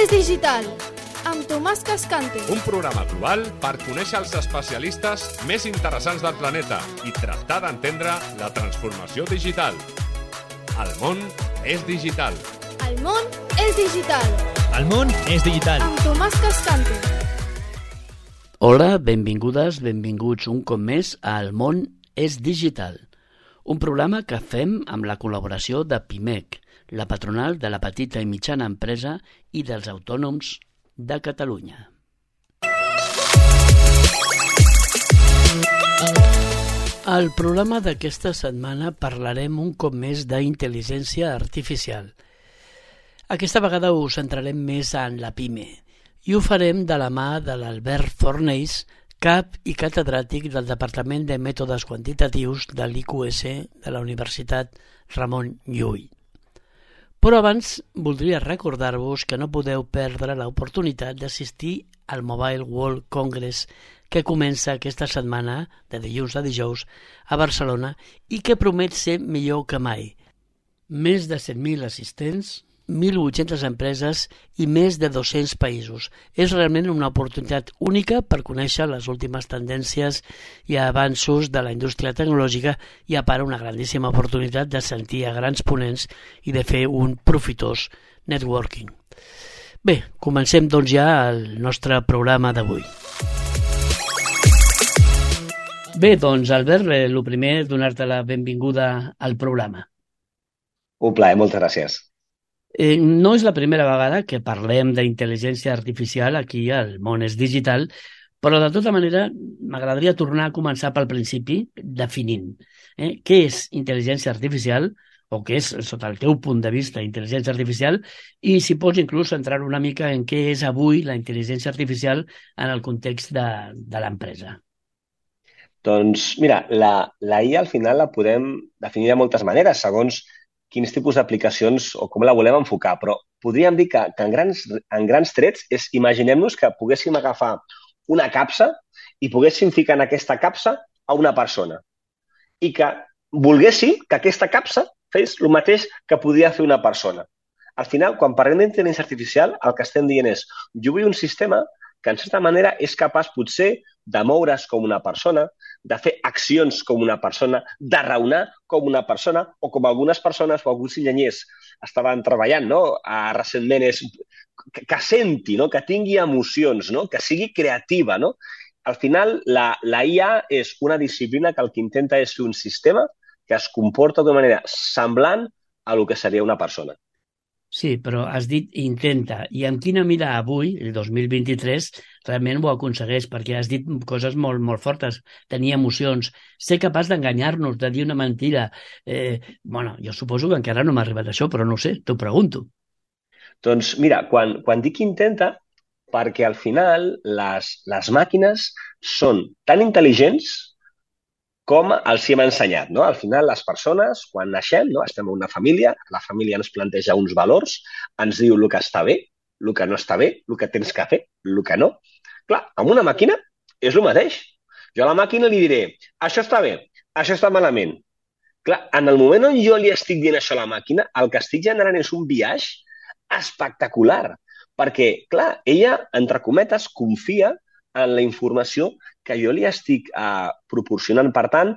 és digital, amb Tomàs Cascante. Un programa global per conèixer els especialistes més interessants del planeta i tractar d'entendre la transformació digital. El món és digital. El món és digital. El món és digital. Amb Tomàs Cascante. Hola, benvingudes, benvinguts un cop més a El món és digital, un programa que fem amb la col·laboració de PIMEC, la patronal de la petita i mitjana empresa i dels autònoms de Catalunya. Al programa d'aquesta setmana parlarem un cop més d'intel·ligència artificial. Aquesta vegada us centrarem més en la PIME i ho farem de la mà de l'Albert Fornells, cap i catedràtic del Departament de Mètodes Quantitatius de l'IQS de la Universitat Ramon Llull. Però abans voldria recordar-vos que no podeu perdre l'oportunitat d'assistir al Mobile World Congress que comença aquesta setmana, de dilluns a dijous, a Barcelona i que promet ser millor que mai. Més de 100.000 assistents, 1.800 empreses i més de 200 països. És realment una oportunitat única per conèixer les últimes tendències i avanços de la indústria tecnològica i a part una grandíssima oportunitat de sentir a grans ponents i de fer un profitós networking. Bé, comencem doncs ja el nostre programa d'avui. Bé, doncs Albert, el primer és donar-te la benvinguda al programa. Un plaer, moltes gràcies. No és la primera vegada que parlem d'intel·ligència artificial aquí al món és digital, però de tota manera m'agradaria tornar a començar pel principi definint què és intel·ligència artificial o què és, sota el teu punt de vista, intel·ligència artificial i si pots inclús centrar una mica en què és avui la intel·ligència artificial en el context de l'empresa. Doncs mira, la IA al final la podem definir de moltes maneres, segons quins tipus d'aplicacions o com la volem enfocar, però podríem dir que en grans trets és, imaginem-nos que poguéssim agafar una capsa i poguéssim ficar en aquesta capsa a una persona i que volguéssim que aquesta capsa fes el mateix que podia fer una persona. Al final, quan parlem d'intel·ligència artificial, el que estem dient és jo vull un sistema que en certa manera és capaç potser de moure's com una persona, de fer accions com una persona, de raonar com una persona o com algunes persones o alguns enginyers estaven treballant recentment, és que senti, que tingui emocions, que sigui creativa. Al final, la IA és una disciplina que el que intenta és fer un sistema que es comporta d'una manera semblant a el que seria una persona. Sí, però has dit intenta. I amb quina mira avui, el 2023, realment ho aconsegueix? Perquè has dit coses molt, molt fortes. Tenir emocions. Ser capaç d'enganyar-nos, de dir una mentida. Jo suposo que encara no m'ha arribat això, però no ho sé, t'ho pregunto. Doncs mira, quan dic intenta, perquè al final les màquines són tan intel·ligents com els hi hem ensenyat. Al final, les persones, quan naixem, estem en una família, la família ens planteja uns valors, ens diu el que està bé, el que no està bé, el que tens que fer, el que no. Clar, amb una màquina és el mateix. Jo a la màquina li diré, això està bé, això està malament. Clar, en el moment on jo li estic dient això a la màquina, el que estic generant és un biaix espectacular, perquè, clar, ella, entre cometes, confia en la informació que jo li estic proporcionant. Per tant,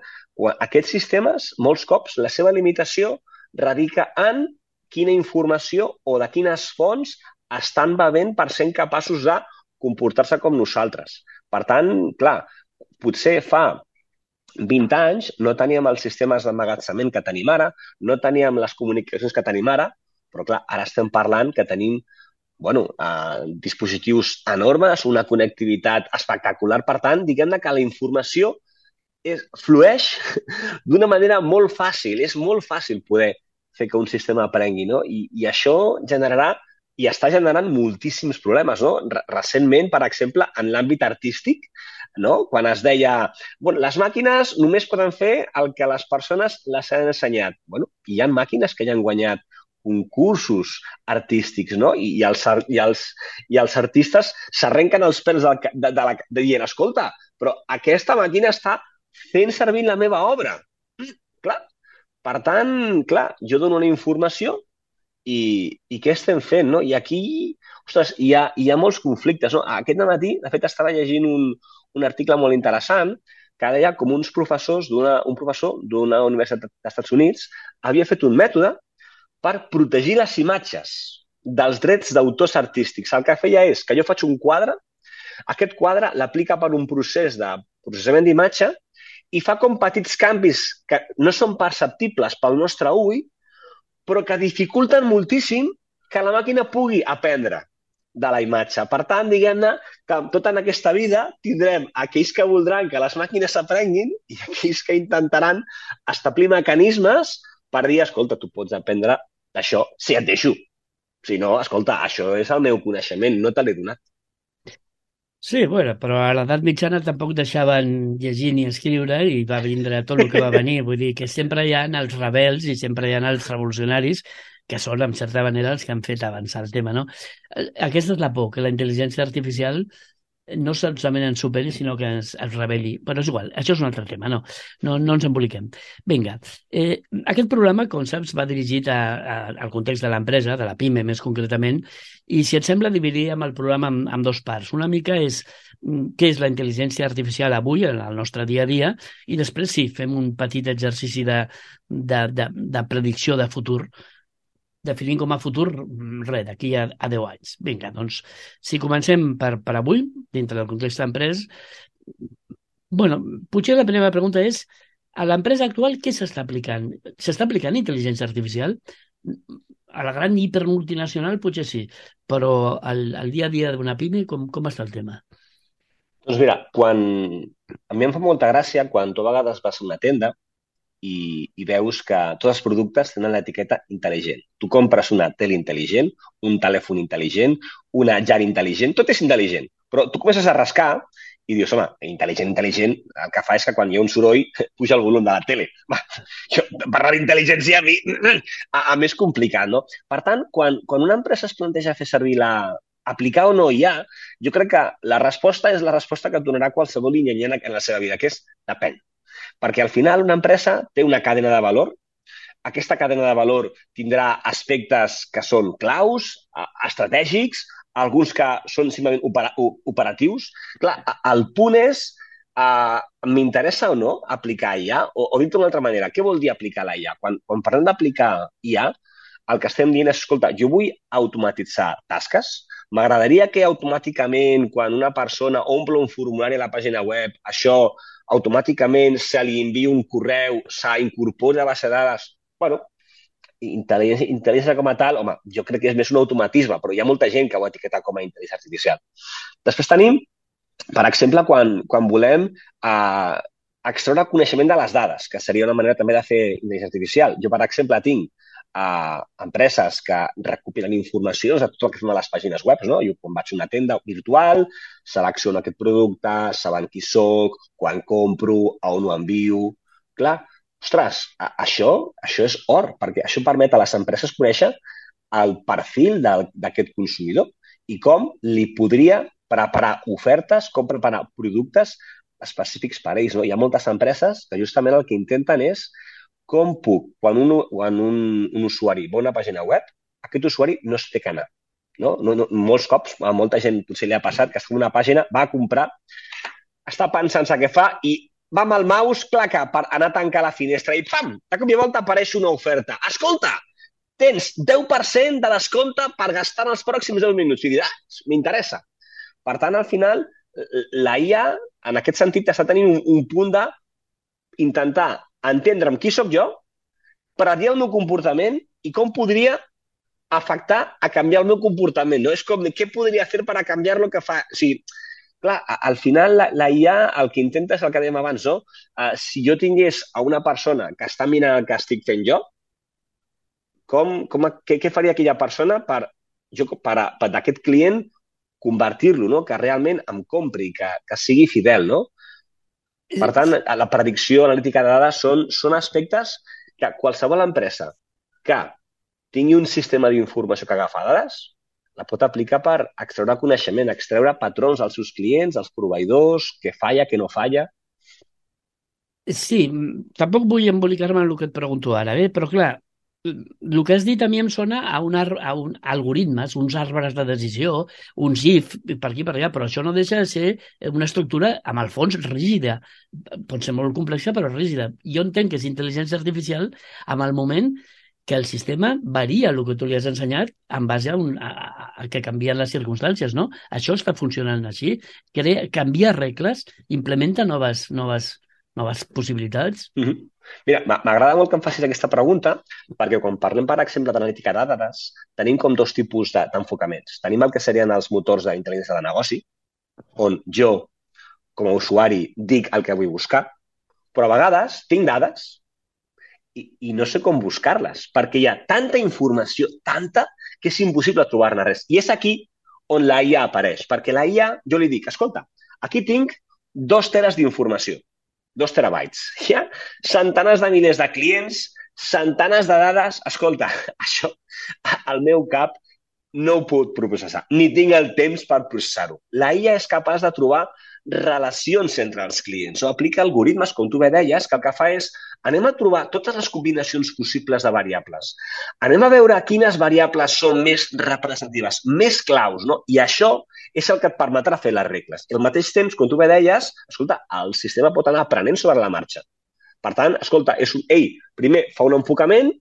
aquests sistemes, molts cops, la seva limitació radica en quina informació o de quines fonts estan bevent per ser capaços de comportar-se com nosaltres. Per tant, clar, potser fa 20 anys no teníem els sistemes d'emmagatzemament que tenim ara, no teníem les comunicacions que tenim ara, però clar, ara estem parlant que tenim dispositius enormes, una connectivitat espectacular. Per tant, diguem-ne que la informació flueix d'una manera molt fàcil. És molt fàcil poder fer que un sistema aprengui, I això generarà i està generant moltíssims problemes. Recentment, per exemple, en l'àmbit artístic, quan es deia les màquines només poden fer el que les persones les han ensenyat. Hi ha màquines que ja han guanyat concursos artístics, I els artistes s'arrenquen els pèls dient, escolta, però aquesta màquina està fent servir la meva obra. Clar. Per tant, jo dono una informació i què estem fent, no? I aquí, ostres, hi ha molts conflictes, no? Aquest matí, de fet, estava llegint un article molt interessant que deia com un professor d'una universitat dels Estats Units havia fet un mètode per protegir les imatges dels drets d'autors artístics. El que feia és que jo faig un quadre, aquest quadre l'aplica per un procés de processament d'imatge i fa com petits canvis que no són perceptibles pel nostre ull, però que dificulten moltíssim que la màquina pugui aprendre de la imatge. Per tant, diguem-ne que tot en aquesta vida tindrem aquells que voldran que les màquines aprenguin i aquells que intentaran establir mecanismes per dir, escolta, tu pots aprendre d'això si et deixo. Si no, escolta, això és el meu coneixement, no te l'he donat. Sí, bueno, però a l'edat mitjana tampoc deixaven llegir ni escriure i va vindre tot el que va venir. Vull dir que sempre hi ha els rebels i sempre hi ha els revolucionaris que són, en certa manera, els que han fet avançar el tema, no? Aquesta és la por, que la intel·ligència artificial no solament ens superi, sinó que ens rebel·li. Però és igual, això és un altre tema, no ens emboliquem. Vinga, aquest programa, com saps, va dirigit al context de l'empresa, de la PIME més concretament, i si et sembla dividiríem el programa en dos parts. Una mica és què és la intel·ligència artificial avui en el nostre dia a dia i després sí, fem un petit exercici de predicció de futur, definint com a futur, res, d'aquí a 10 anys. Vinga, doncs, si comencem per avui, dintre del context d'empresa, bueno, potser la primera pregunta és, a l'empresa actual què s'està aplicant? S'està aplicant intel·ligència artificial? A la gran hipermultinacional potser sí, però al dia a dia d'una PIME com està el tema? Doncs mira, a mi em fa molta gràcia quan tu a vegades vas a una tenda i veus que tots els productes tenen l'etiqueta intel·ligent. Tu compres una tele intel·ligent, un telèfon intel·ligent, una llar intel·ligent, tot és intel·ligent. Però tu comences a rascar i dius, home, intel·ligent, el que fa és que quan hi ha un soroll puja el volum de la tele. Parlar d'intel·ligència a mi és complicat, no? Per tant, quan una empresa es planteja fer servir aplicar o no IA, jo crec que la resposta és la resposta que et donarà qualsevol llenyanyan en la seva vida, que és depèn. Perquè al final una empresa té una cadena de valor. Aquesta cadena de valor tindrà aspectes que són claus, estratègics, alguns que són simplement operatius. Clar, el punt és, m'interessa o no aplicar IA? O dit d'una altra manera, què vol dir aplicar la IA? Quan parlem d'aplicar IA, el que estem dient és, escolta, jo vull automatitzar tasques. M'agradaria que automàticament, quan una persona omple un formulari a la pàgina web, això automàticament se li envia un correu, s'incorpora a base de dades. Bueno, intel·ligència com a tal, home, jo crec que és més un automatisme, però hi ha molta gent que ho etiqueta com a intel·ligència artificial. Després tenim, per exemple, quan volem extreure coneixement de les dades, que seria una manera també de fer intel·ligència artificial. Jo, per exemple, tinc empreses que recopilen informació de tot el que fem a les pàgines web, no? Jo quan vaig a una tenda virtual, selecciono aquest producte, sabent qui soc, quan compro, a on ho envio. Clar, ostres, això és or, perquè això permet a les empreses conèixer el perfil d'aquest consumidor i com li podria preparar ofertes, com preparar productes específics per a ells. No? Hi ha moltes empreses que justament el que intenten és com puc, quan un usuari va a una pàgina web, aquest usuari no es té que anar. No? Molts cops, a molta gent potser li ha passat que està en una pàgina, va a comprar, està pensant què fa i va amb el mouse, claca, per anar a tancar la finestra i pam, de cop i volta apareix una oferta. Escolta, tens 10% de descompte per gastar en els pròxims 10 minuts. I diràs, m'interessa. Per tant, al final, la IA, en aquest sentit, està tenint un punt d'intentar entendre'm qui sóc jo, predir el meu comportament i com podria afectar a canviar el meu comportament. No? És com, què podria fer per a canviar lo que fa? O sigui, clar, al final la IA el que intenta és el que dèiem abans, no? Si jo tingués a una persona que està mirant el que estic fent jo, què faria aquella persona per d'aquest client convertir-lo, no? Que realment em compri, que sigui fidel, no? Per tant, la predicció, l'analítica de dades són aspectes que qualsevol empresa que tingui un sistema d'informació que agafa dades la pot aplicar per extreure coneixement, extreure patrons als seus clients, als proveïdors, què falla, què no falla. Sí, tampoc vull embolicar-me en el que et pregunto ara, però clar, El que has dit a mi em sona a un algoritmes, uns arbres de decisió, uns if, per aquí per allà, però això no deixa de ser una estructura, amb el fons, rígida. Pot ser molt complexa, però rígida. Jo entenc que és intel·ligència artificial amb el moment que el sistema varia el que tu li has ensenyat en base a que canvien les circumstàncies, no? Això està funcionant així. Canvia regles, implementa noves possibilitats. Mhm. Mira, m'agrada molt que em facis aquesta pregunta perquè quan parlem, per exemple, d'analítica de dades, tenim com dos tipus d'enfocaments. Tenim el que serien els motors d'intel·ligència de negoci, on jo, com a usuari, dic el que vull buscar, però a vegades tinc dades i no sé com buscar-les, perquè hi ha tanta informació, tanta, que és impossible trobar-ne res. I és aquí on la IA apareix, perquè la IA, jo li dic, escolta, aquí tinc 2 teres d'informació, 2 terabytes. Hi ha centenars de milers de clients, centenars de dades. Escolta, això al meu cap no ho puc processar, ni tinc el temps per processar-ho. La IA és capaç de trobar relacions entre els clients o aplica algoritmes, com tu bé deies, que el que fa és anem a trobar totes les combinacions possibles de variables. Anem a veure quines variables són més representatives, més claus, no? I això és el que et permetrà fer les regles. I al mateix temps, com tu bé deies, escolta, el sistema pot anar aprenent sobre la marxa. Per tant, escolta, ell primer fa un enfocament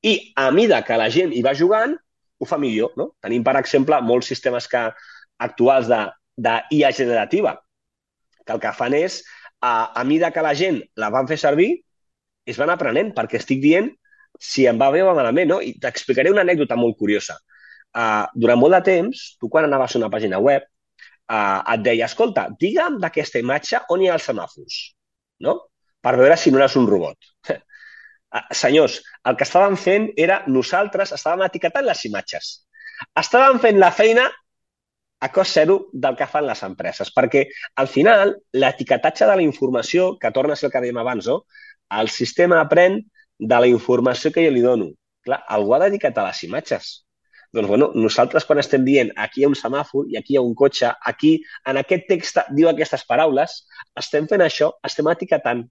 i a mida que la gent hi va jugant, ho fa millor, no? Tenim, per exemple, molts sistemes actuals d'IA generativa, que el que fan és, a mida que la gent la van fer servir, es van aprenent, perquè estic dient si em va bé o malament, no? I t'explicaré una anècdota molt curiosa. Durant molt de temps, tu quan anaves a una pàgina web, et deia, escolta, digue'm d'aquesta imatge on hi ha els semàfors, no? Per veure si no eres un robot. Senyors, el que estàvem fent era nosaltres estàvem etiquetant les imatges. Estàvem fent la feina a cost zero del que fan les empreses, perquè al final l'etiquetatge de la informació, que torna a ser el que dèiem abans, no? El sistema aprèn de la informació que jo li dono. Clar, algú ha d'etiquetar les imatges. Doncs, bueno, nosaltres quan estem dient aquí hi ha un semàfor i aquí hi ha un cotxe, aquí, en aquest text diu aquestes paraules, estem fent això, estem etiquetant.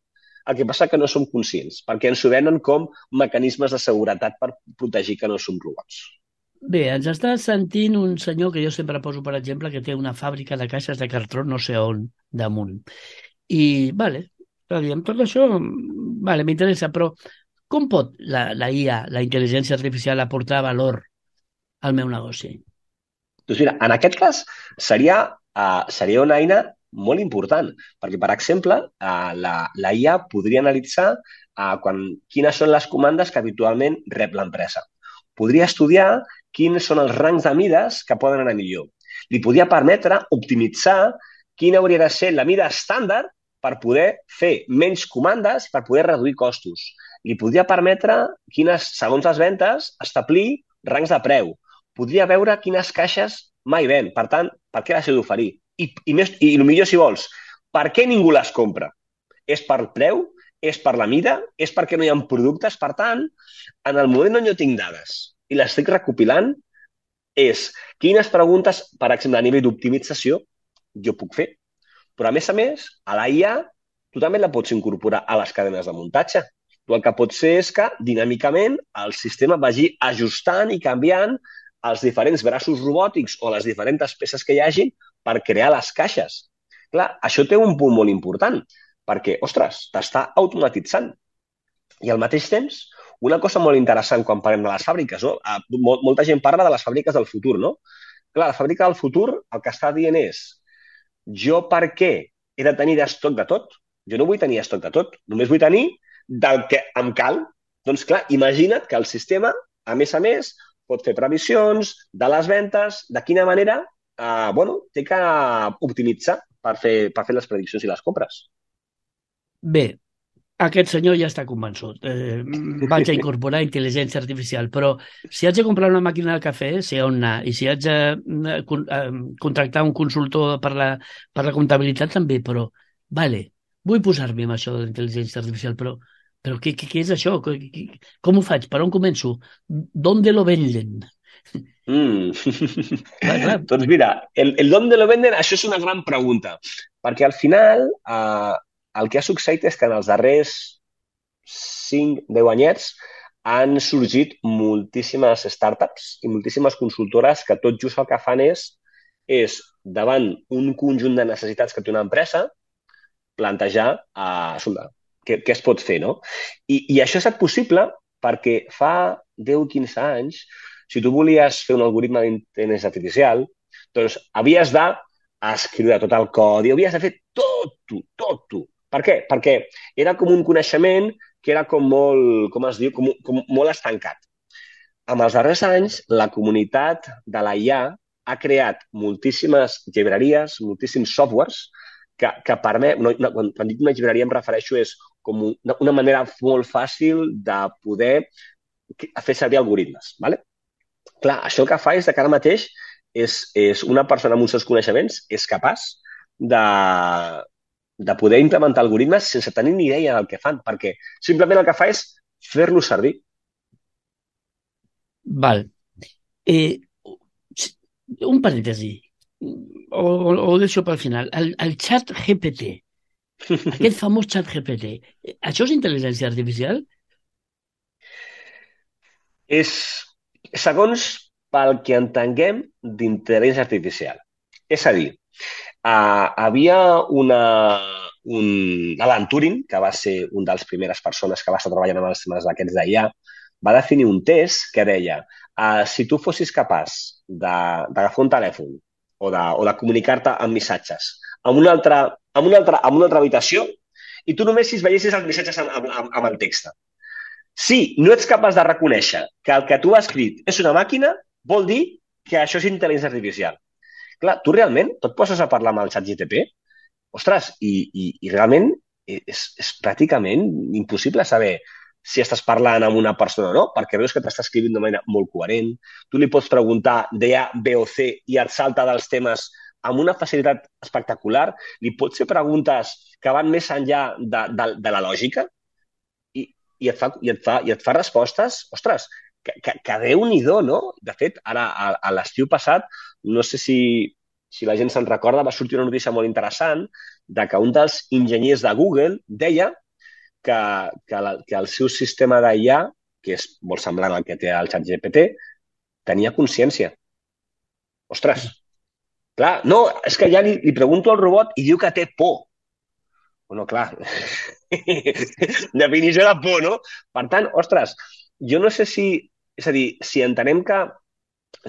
El que passa que no som conscients, perquè ens ho venen com mecanismes de seguretat per protegir que no som robots. Bé, ens està sentint un senyor que jo sempre poso, per exemple, que té una fàbrica de caixes de cartró no sé on, damunt. I, vale, amb tot això, vale, m'interessa, però com pot la IA, la intel·ligència artificial, aportar valor al meu negoci? Doncs mira, en aquest cas seria una eina molt important, perquè, per exemple, la IA podria analitzar quines són les comandes que habitualment rep l'empresa. Podria estudiar quins són els rangs de mides que poden anar millor. Li podria permetre optimitzar quina hauria de ser la mida estàndard per poder fer menys comandes, per poder reduir costos. Li podria permetre, segons les ventes, establir rangs de preu. Podria veure quines caixes mai ven. Per tant, per què les he d'oferir? I el millor, si vols, per què ningú les compra? És per preu? És per la mida? És perquè no hi ha productes? Per tant, en el moment on jo tinc dades i les estic recopilant, és quines preguntes, per exemple, a nivell d'optimització, jo puc fer. Però, a més, a la IA, tu també la pots incorporar a les cadenes de muntatge. Tu el que pots fer és que, dinàmicament, el sistema vagi ajustant i canviant els diferents braços robòtics o les diferents peces que hi hagi per crear les caixes. Clar, això té un punt molt important, perquè, ostres, t'està automatitzant. I al mateix temps, una cosa molt interessant quan parlem de les fàbriques, no? Molta gent parla de les fàbriques del futur, no? Clar, la fàbrica del futur el que està dient és jo per què he de tenir estoc de tot? Jo no vull tenir estoc de tot, només vull tenir del que em cal. Doncs clar, imagina't que el sistema, a més, pot fer previsions de les ventes, de quina manera té que optimitzar per fer les prediccions i les compres. Bé, aquest senyor ja està convençut. Vaig a incorporar intel·ligència artificial, però si haig de comprar una màquina de cafè, sé on anar, i si haig de contractar un consultor per la comptabilitat també, però, vale, vull posar-me amb això de l'intel·ligència artificial, però què és això? Com ho faig? Per on començo? ¿Dónde lo venden? Clar. Doncs mira, el ¿dónde lo venden? Això és una gran pregunta, perquè al final el que ha succeït és que en els darrers 5-10 anyets han sorgit moltíssimes startups i moltíssimes consultores que tot just el que fan és davant un conjunt de necessitats que té una empresa, plantejar què es pot fer, no? I això ha estat possible perquè fa 10-15 anys, si tu volies fer un algoritme d'intel·ligència artificial, doncs havies d'escriure tot el codi, havies de fer tot tu. Per què? Perquè era com un coneixement que era com molt, com es diu, com molt estancat. Amb els darrers anys, la comunitat de la IA ha creat moltíssimes llibreries, moltíssims softwares que permet, quan dic una llibreria em refereixo és com una manera molt fàcil de poder fer servir algoritmes. ¿Vale? Clar, això el que fa és que ara mateix és una persona amb uns seus coneixements és capaç de poder implementar algoritmes sense tenir ni idea del que fan, perquè simplement el que fa és fer-lo servir. Val. Un parèntesi, o deixo pel final. El xat GPT, aquest famós xat GPT, això és intel·ligència artificial? És, segons pel que entenguem d'intel·ligència artificial. És a dir, havia Alan Turing, que va ser una de les primeres persones que va estar treballant amb els temes d'aquests d'IA, va definir un test que deia si tu fossis capaç d'agafar un telèfon o de comunicar-te amb missatges amb una altra habitació i tu només si veiessis els missatges amb el text. Si no ets capaç de reconèixer que el que tu has escrit és una màquina, vol dir que això és intel·ligència artificial. Clar, tu realment et poses a parlar amb el ChatGPT? Ostres, i realment és pràcticament impossible saber si estàs parlant amb una persona o no, perquè veus que t'està escrivint d'una manera molt coherent. Tu li pots preguntar de A, B o C i et salta dels temes amb una facilitat espectacular. Li pots fer preguntes que van més enllà de la lògica i et fa respostes, ostres, que Déu-n'hi-do, no? De fet, ara, a l'estiu passat, no sé si la gent se'n recorda, va sortir una notícia molt interessant de que un dels enginyers de Google deia que el seu sistema d'IA, que és molt semblant al que té el ChatGPT, tenia consciència. Ostres, clar, no, és que ja li pregunto al robot i diu que té por. Bueno, clar, definició de por, no? Per tant, ostres, jo no sé si... És a dir, si entenem que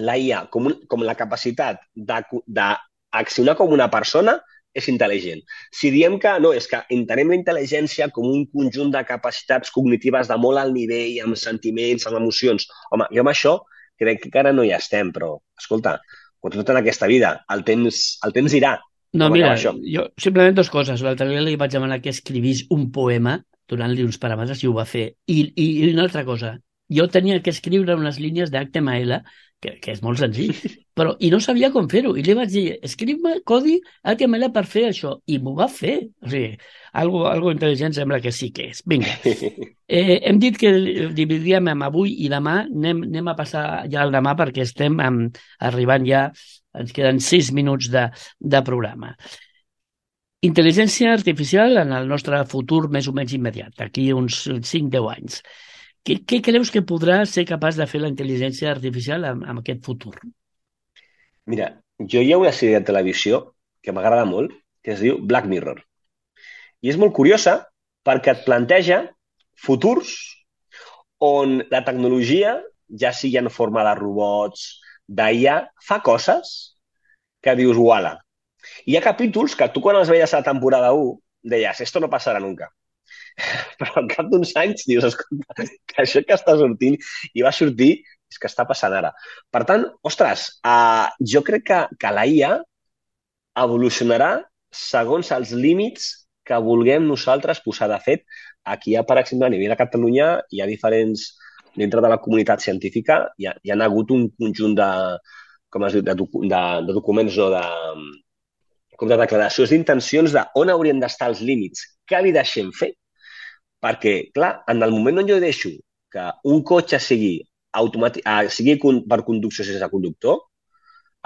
la IA com la capacitat d'accionar com una persona és intel·ligent. Si diem que no, és que entenem la intel·ligència com un conjunt de capacitats cognitives de molt alt nivell, amb sentiments, amb emocions. Home, jo amb això crec que encara no hi estem, però, escolta, com tot en aquesta vida, el temps irà. No, mira, jo simplement dues coses. L'altre dia li vaig demanar que escrivís un poema donant-li uns paràmetres i ho va fer. I una altra cosa, jo tenia que escriure unes línies d'HTML, que és molt senzill, i no sabia com fer-ho. I li vaig dir, escriu-me codi HTML per fer això. I m'ho va fer. O sigui, algo intel·ligent sembla que sí que és. Vinga. Hem dit que dividíem amb avui i demà. Anem a passar ja al demà perquè estem arribant ja, ens queden 6 minuts de programa. Intel·ligència artificial en el nostre futur més o menys immediat, d'aquí uns 5-10 anys. Què creus que podrà ser capaç de fer la intel·ligència artificial en aquest futur? Mira, hi ha una sèrie de televisió que m'agrada molt, que es diu Black Mirror. I és molt curiosa perquè et planteja futurs on la tecnologia, ja sigui en forma de robots, d'IA, fa coses que dius, uala. Hi ha capítols que tu quan els veies a la temporada 1 deies, esto no passarà nunca. Però al cap d'uns anys dius, escolta, que això que està sortint i va sortir és que està passant ara. Per tant, ostres, jo crec que la IA evolucionarà segons els límits que vulguem nosaltres posar. De fet, aquí hi ha, per exemple, a nivell de Catalunya, hi ha diferents, dintre de la comunitat científica, hi ha hagut un conjunt de documents o de declaracions d'intencions d'on haurien d'estar els límits, què li deixem fer. Perquè, clar, en el moment on jo deixo que un cotxe sigui per conducció sense conductor,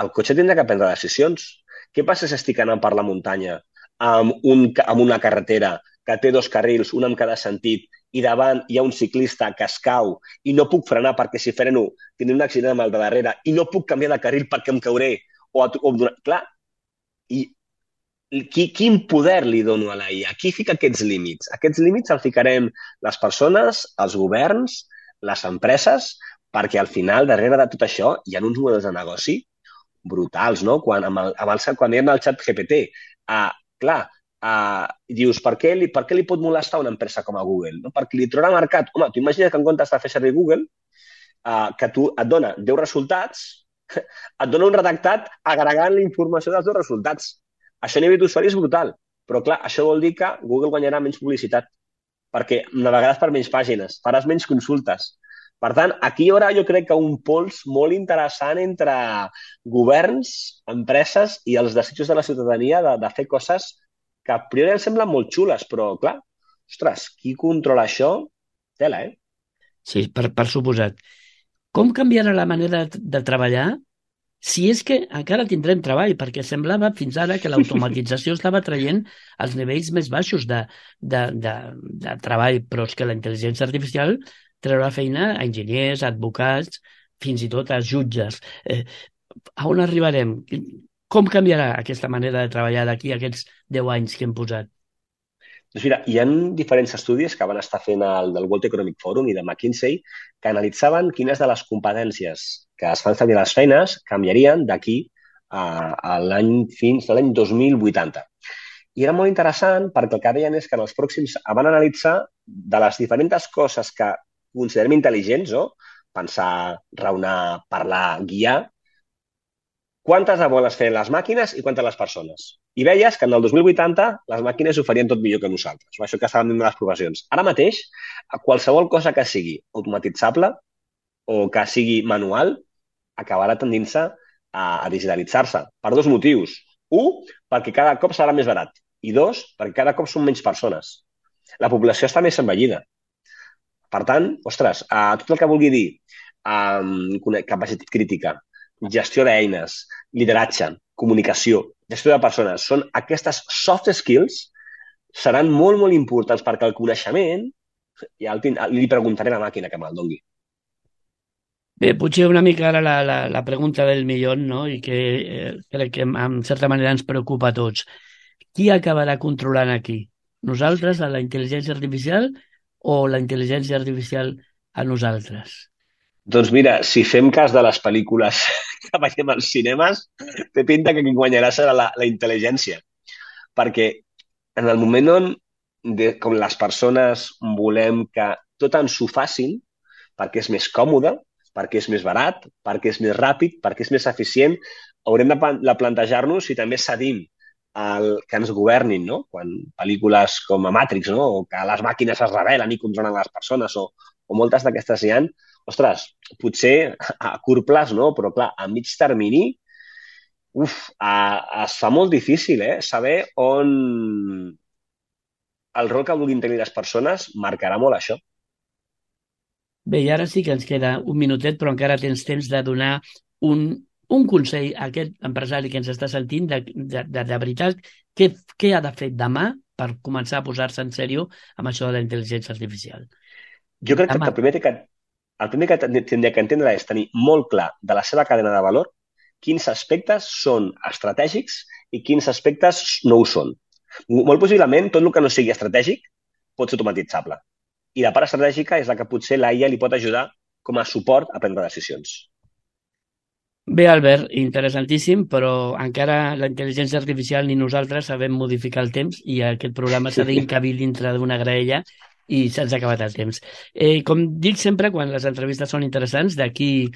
el cotxe tindrà que prendre decisions. Què passa si estic anant per la muntanya amb una carretera que té 2 carrils, un en cada sentit, i davant hi ha un ciclista que es cau i no puc frenar perquè si freno tindré un accident amb el de darrere i no puc canviar de carril perquè em cauré clar, i quin poder li dono a la IA? Qui fica aquests límits? Aquests límits els ficarem les persones, els governs, les empreses, perquè al final, darrere de tot això, hi ha uns models de negoci brutals, no? Quan hi ha el xat GPT, dius, per què li pot molestar una empresa com a Google? No? Perquè li trobarà mercat. Home, tu imagines que en comptes de fer servir Google, que tu et dona 10 resultats, et dona un redactat agregant la informació dels 2 resultats. Això a nivell d'usuari és brutal, però clar, això vol dir que Google guanyarà menys publicitat, perquè navegaràs per menys pàgines, faràs menys consultes. Per tant, aquí hi haurà, jo crec que un pols molt interessant entre governs, empreses i els desitjos de la ciutadania de fer coses que a priori ens semblen molt xules, però clar, ostres, qui controla això? Tela, eh? Sí, per suposat. Com canviarà la manera de treballar? Si és que encara tindrem treball, perquè semblava fins ara que l'automatització estava traient els nivells més baixos de treball, però és que la intel·ligència artificial treurà feina a enginyers, a advocats, fins i tot a jutges. A on arribarem? Com canviarà aquesta manera de treballar d'aquí a aquests 10 anys que hem posat? Doncs mira, hi ha diferents estudis que van estar fent del World Economic Forum i de McKinsey que analitzaven quines de les competències que es fan servir a les feines canviarien d'aquí fins a l'any 2080. I era molt interessant perquè el que deien és que en els pròxims van analitzar de les diferents coses que considerem intel·ligents, pensar, raonar, parlar, guiar, quantes de volen fer les màquines i quantes les persones. I veies que en el 2080 les màquines ho farien tot millor que nosaltres. Això que estàvem dient de les professions. Ara mateix, qualsevol cosa que sigui automatitzable o que sigui manual acabarà tendint-se a digitalitzar-se per 2 motius. 1, perquè cada cop serà més barat. I 2, perquè cada cop són menys persones. La població està més envellida. Per tant, ostres, tot el que vulgui dir capacitat crítica, gestió d'eines, lideratge, comunicació, gestió de persones, són aquestes soft skills seran molt, molt importants perquè el coneixement ja li preguntaré a la màquina que me'l doni. Bé, potser una mica ara la pregunta del milió, no? I que crec que en certa manera ens preocupa a tots. Qui acabarà controlant aquí? Nosaltres, a la intel·ligència artificial o la intel·ligència artificial a nosaltres? Doncs mira, si fem cas de les pel·lícules que veiem als cinemes, té pinta que qui guanyarà serà la intel·ligència. Perquè en el moment on, com les persones volem que tot ens ho facin, perquè és més còmode, perquè és més barat, perquè és més ràpid, perquè és més eficient, haurem de plantejar-nos si també cedim que ens governin, no? Quan pel·lícules com a Matrix, no? O que les màquines es rebel·len i controlen les persones, o moltes d'aquestes hi ha, ostres, potser a curt plaç, no? Però clar, a mig termini, es fa molt difícil, saber on el rol que vulguin tenir les persones marcarà molt això. Bé, i ara sí que ens queda un minutet, però encara tens temps de donar un consell a aquest empresari que ens està sentint de veritat, què ha de fer demà per començar a posar-se en sèrio amb això de la intel·ligència artificial? Jo crec que el primer que tindria que entendre és tenir molt clar de la seva cadena de valor quins aspectes són estratègics i quins aspectes no ho són. Molt possiblement, tot el que no sigui estratègic pot ser automatitzable. I la part estratègica és la que potser la IA li pot ajudar com a suport a prendre decisions. Bé, Albert, interessantíssim, però encara la intel·ligència artificial ni nosaltres sabem modificar el temps i aquest programa s'ha d'encabir dintre d'una graella i se'ns ha acabat el temps. Com dic sempre, quan les entrevistes són interessants, d'aquí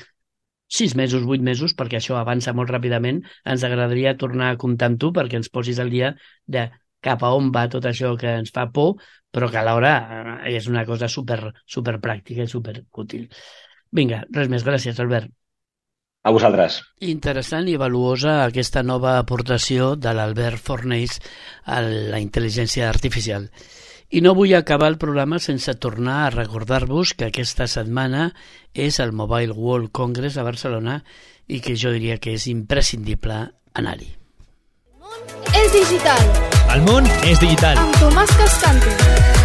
6 mesos, 8 mesos, perquè això avança molt ràpidament, ens agradaria tornar a comptar amb tu perquè ens posis al dia de cap a on va tot això que ens fa por, però que alhora és una cosa super pràctica i super útil. Vinga, res més. Gràcies, Albert. A vosaltres. Interessant i valuosa aquesta nova aportació de l'Albert Fornells a la intel·ligència artificial. I no vull acabar el programa sense tornar a recordar-vos que aquesta setmana és el Mobile World Congress a Barcelona i que jo diria que és imprescindible anar-hi. El món és digital. El món és digital. Amb Tomàs Cascante.